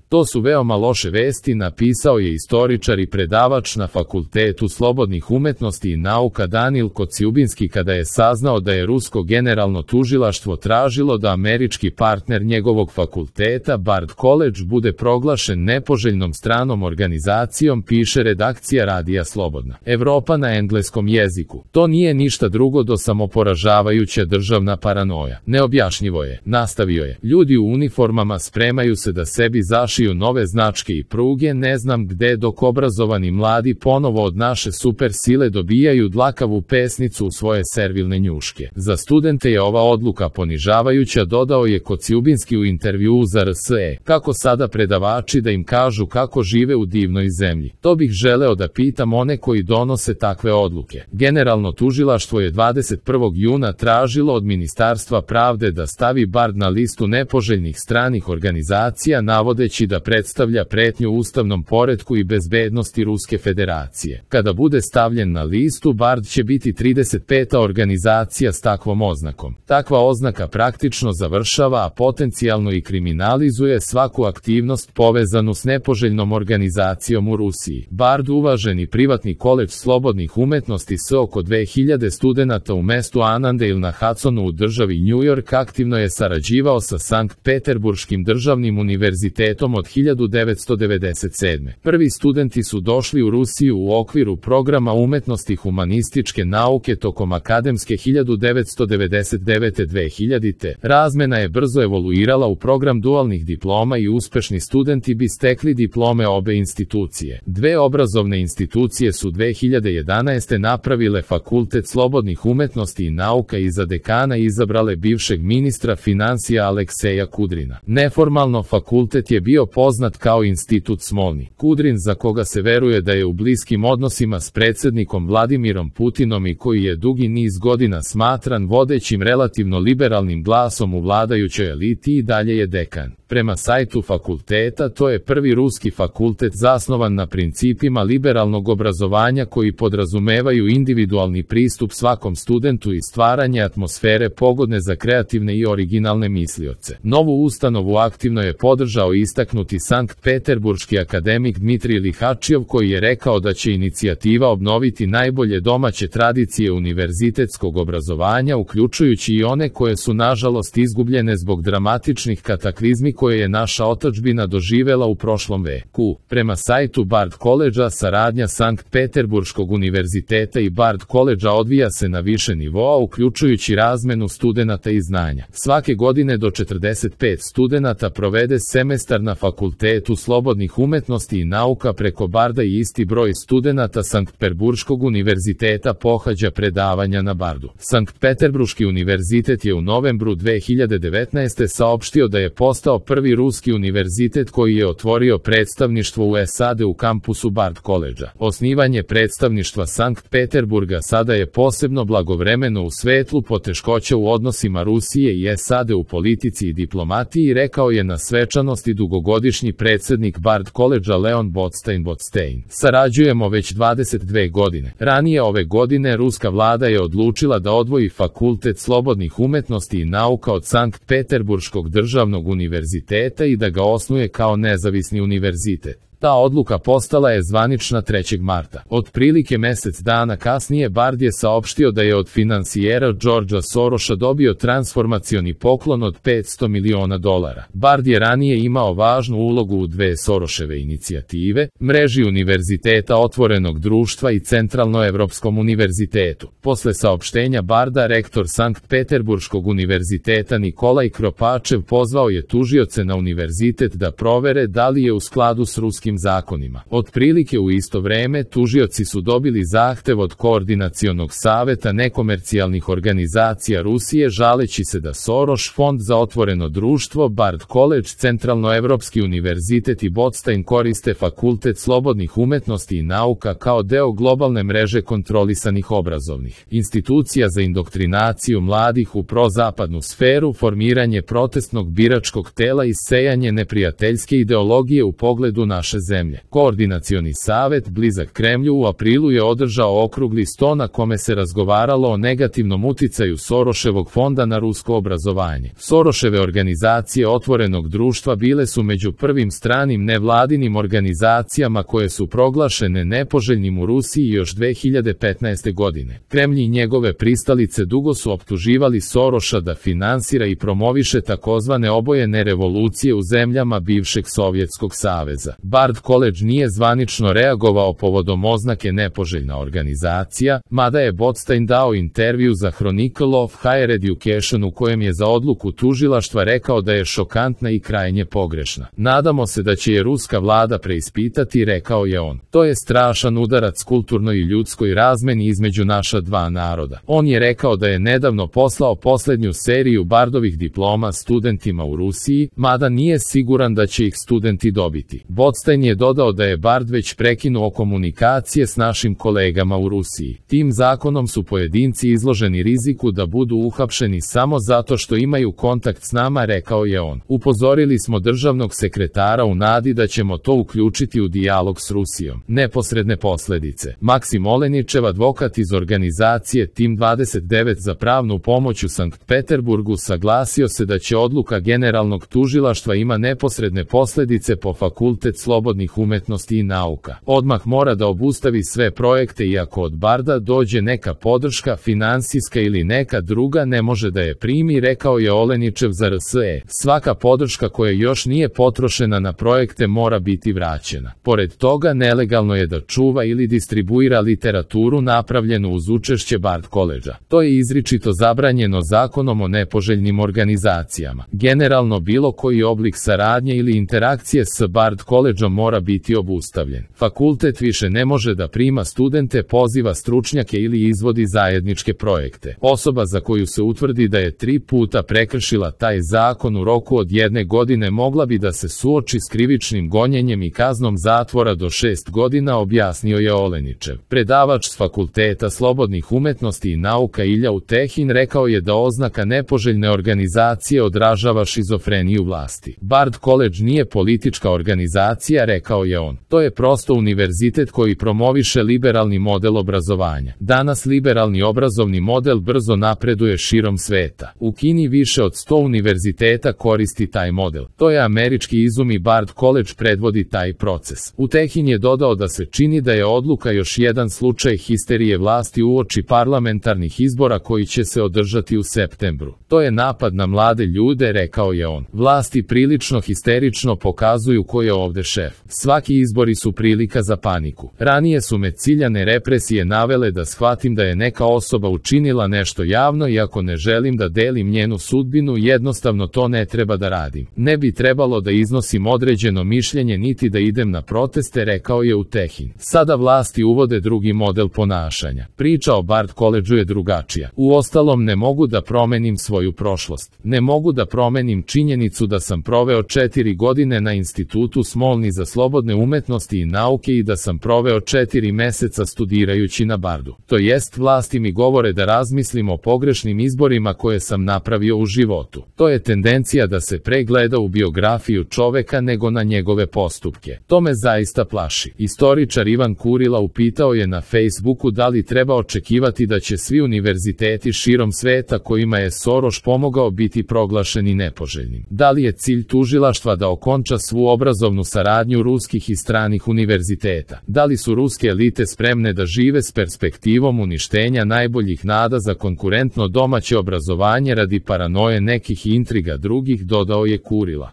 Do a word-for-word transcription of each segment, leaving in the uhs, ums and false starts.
To su veoma loše vesti, napisao je istoričar i predavač na Fakultetu slobodnih umetnosti i nauka Danil Kociubinski kada je saznao da je rusko generalno tužilaštvo tražilo da američki partner njegovog fakulteta, Bard College, bude proglašen nepoželjnom stranom organizacijom, piše redakcija Radija Slobodna Evropa na engleskom jeziku. To nije ništa drugo do samoporažavajuća državna paranoja. Neobjašnjivo je, nastavio je. Ljudi u uniformama spremaju se da sebi zašiju nove značke i pruge, ne znam gde, dok obrazovani mladi ponovo od naše super sile dobijaju dlakavu pesnicu u svoje servilne njuške. Za studente je ova odluka ponižavajuća, dodao je Kociubinski u intervjuu za R S E. Kako sada predavači da im kažu kako žive u divnoj zemlji? To bih želeo da pitam one koji donose takve odluke. Generalno tužilaštvo je dvadeset prvog juna tražilo od Ministarstva pravde da stavi Bard na listu nepoželjnih stranih organizacija, navodeći da predstavlja pretnju ustavnom poretku i bezbednosti Ruske federacije. Kada bude stavljen na listu, Bard će biti trideset peta organizacija s takvom oznakom. Takva oznaka praktično završava, a potencijalno i kriminalizuje svaku aktivnost povezanu s nepoželjnom organizacijom u Rusiji. Bard, uvaženi privatni koledž slobodnih umetnosti s oko dve hiljade studenata u mestu Annandale na Hudsonu u državi New York, aktivno je sarađivao sa Sankt Peterburškim državnim univerzitetom od hiljadu devetsto devedeset sedme. Prvi studenti su došli u Rusiju u okviru programa umetnosti humanističke nauke tokom akademske hiljadu devetsto devedeset devete do dve hiljadite. Razmena je brzo evoluirala u program dualnih diploma i uspešni studenti bi stekli diplome obe institucije. Dve obrazovne institucije su dve hiljade jedanaeste napravile Fakultet slobodnih umetnosti i nauka i za dekana izabrale bivšeg ministra financija Alekseja Kudrina. Neformalno fakultet je bio poznat kao Institut Smolni. Kudrin, za koga se veruje da je u bliskim odnosima s predsjednikom Vladimirom Putinom i koji je dugi niz godina smatran vodećim relativno liberalnim glasom u vladajućoj eliti, i dalje je dekan. Prema sajtu fakulteta, to je prvi ruski fakultet zasnovan na principima liberalnog obrazovanja koji podrazumevaju individualni pristup svakom studentu i stvaranje atmosfere pogodne za kreativne i originalne mislioce. Novu ustanovu aktivno je podržao istaknuti Sankt Peterburški akademik Dmitrij Lihačijov, koji je rekao da će inicijativa obnoviti najbolje domaće tradicije univerzitetskog obrazovanja, uključujući i one koje su nažalost izgubljene zbog dramatičnih kataklizmi koje je naša otadžbina doživela u prošlom veku. Prema sajtu Bard College-a, saradnja Sankt Peterburškog univerziteta i Bard College-a odvija se na više nivoa, uključujući razmenu studenata i znanja. Svake godine do četrdeset pet studenata provede semestar na Fakultetu slobodnih umetnosti i nauka preko Barda i isti broj studenata Sankt Peterburškog univerziteta pohađa predavanja na Bardu. Sankt Peterburški univerzitet je u novembru dve hiljade devetnaeste. saopštio da je postao prvi ruski univerzitet koji je otvorio predstavništvo u S A D u kampusu Bard College-a. Osnivanje predstavništva Sankt Peterburga sada je posebno blagovremeno u svetlu poteškoća u odnosima Rusije i S A D u politici i diplomatiji, rekao je na svečanosti dugogodišnji predsjednik Bard College-a Leon Botstein Botstein. Sarađujemo već dvadeset dve godine. Ranije ove godine ruska vlada je odlučila da odvoji Fakultet slobodnih umetnosti i nauka od Sankt Peterburškog državnog univerziteta i da ga osnuje kao nezavisni univerzitet. Ta odluka postala je zvanična trećeg marta. Otprilike mesec dana kasnije Bard je saopštio da je od finansijera Georgea Sorosa dobio transformacioni poklon od petsto miliona dolara. Bard je ranije imao važnu ulogu u dve Soroseve inicijative, mreži univerziteta Otvorenog društva i Centralnoevropskom univerzitetu. Posle saopštenja Barda, rektor Sankt Peterburškog univerziteta Nikolaj Kropačev pozvao je tužioce na univerzitet da provere da li je u skladu s ruskim zakonima. Otprilike u isto vreme tužioci su dobili zahtev od Koordinacionog saveta nekomercijalnih organizacija Rusije žaleći se da Soros, Fond za otvoreno društvo, Bard College, Centralnoevropski univerzitet i Botstein koriste Fakultet slobodnih umetnosti i nauka kao deo globalne mreže kontrolisanih obrazovnih institucija za indoktrinaciju mladih u prozapadnu sferu, formiranje protestnog biračkog tela i sejanje neprijateljske ideologije u pogledu naše naše zemlje. Koordinacioni savet, blizak Kremlju, u aprilu je održao okrugli sto na kome se razgovaralo o negativnom uticaju Soroševog fonda na rusko obrazovanje. Soroševe organizacije otvorenog društva bile su među prvim stranim nevladinim organizacijama koje su proglašene nepoželjnim u Rusiji još dve hiljade petnaeste. godine. Kremlj i njegove pristalice dugo su optuživali Soroša da finansira i promoviše takozvane obojene revolucije u zemljama bivšeg Sovjetskog saveza. Bard College nije zvanično reagovao povodom oznake nepoželjna organizacija, mada je Botstein dao intervju za Chronicle of Higher Education u kojem je za odluku tužilaštva rekao da je šokantna i krajnje pogrešna. Nadamo se da će je ruska vlada preispitati, rekao je on. To je strašan udarac kulturnoj i ljudskoj razmeni između naša dva naroda. On je rekao da je nedavno poslao poslednju seriju Bardovih diploma studentima u Rusiji, mada nije siguran da će ih studenti dobiti. Botstein je dodao da je Bard već prekinuo komunikacije s našim kolegama u Rusiji. Tim zakonom su pojedinci izloženi riziku da budu uhapšeni samo zato što imaju kontakt s nama, rekao je on. Upozorili smo državnog sekretara u nadi da ćemo to uključiti u dijalog s Rusijom. Neposredne posledice. Maksim Oleničev, advokat iz organizacije Tim dvadeset devet za pravnu pomoć u Sankt Peterburgu, saglasio se da će odluka generalnog tužilaštva ima neposredne posledice po Fakultet slobodnih umetnosti i nauka. Odmah mora da obustavi sve projekte i ako od Barda dođe neka podrška, finansijska ili neka druga, ne može da je primi, rekao je Oleničev za R S E. Svaka podrška koja još nije potrošena na projekte mora biti vraćena. Pored toga, nelegalno je da čuva ili distribuira literaturu napravljenu uz učešće Bard College-a. To je izričito zabranjeno zakonom o nepoželjnim organizacijama. Generalno bilo koji oblik saradnje ili interakcije s Bard College-om mora biti obustavljen. Fakultet više ne može da prima studente, poziva stručnjake ili izvodi zajedničke projekte. Osoba za koju se utvrdi da je tri puta prekršila taj zakon u roku od jedne godine mogla bi da se suoči s krivičnim gonjenjem i kaznom zatvora do šest godina, objasnio je Oleničev. Predavač s Fakulteta slobodnih umetnosti i nauka Ilja Utehin rekao je da oznaka nepoželjne organizacije odražava šizofreniju vlasti. Bard College nije politička organizacija, rekao je on. To je prosto univerzitet koji promoviše liberalni model obrazovanja. Danas liberalni obrazovni model brzo napreduje širom sveta. U Kini više od sto univerziteta koristi taj model. To je američki izum i Bard College predvodi taj proces. Utehin je dodao da se čini da je odluka još jedan slučaj histerije vlasti uoči parlamentarnih izbora koji će se održati u septembru. To je napad na mlade ljude, rekao je on. Vlasti prilično histerično pokazuju ko je ovde šef. Svaki izbori su prilika za paniku. Ranije su me ciljane represije navele da shvatim da je neka osoba učinila nešto javno i ako ne želim da delim njenu sudbinu, jednostavno to ne treba da radim. Ne bi trebalo da iznosim određeno mišljenje niti da idem na proteste, rekao je Utehin. Sada vlasti uvode drugi model ponašanja. Priča o Bard College-u je drugačija. Uostalom, ne mogu da promenim svoju prošlost. Ne mogu da promenim činjenicu da sam proveo četiri godine na Institutu Smolny za slobodne umetnosti i nauke i da sam proveo četiri meseca studirajući na Bardu. To jest, vlasti mi govore da razmislim o pogrešnim izborima koje sam napravio u životu. To je tendencija da se pre gleda u biografiju čoveka nego na njegove postupke. To me zaista plaši. Istoričar Ivan Kurila upitao je na Facebooku da li treba očekivati da će svi univerziteti širom sveta kojima je Soroš pomogao biti proglašeni nepoželjnim. Da li je cilj tužilaštva da okonča svu obrazovnu saradnju ruskih i stranih univerziteta? Da li su ruske elite spremne da žive s perspektivom uništenja najboljih nada za konkurentno domaće obrazovanje radi paranoje nekih i intriga drugih, dodao je Kurila.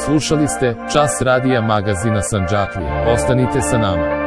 Slušali ste Čas radija magazina Sandžaklija. Ostanite sa nama.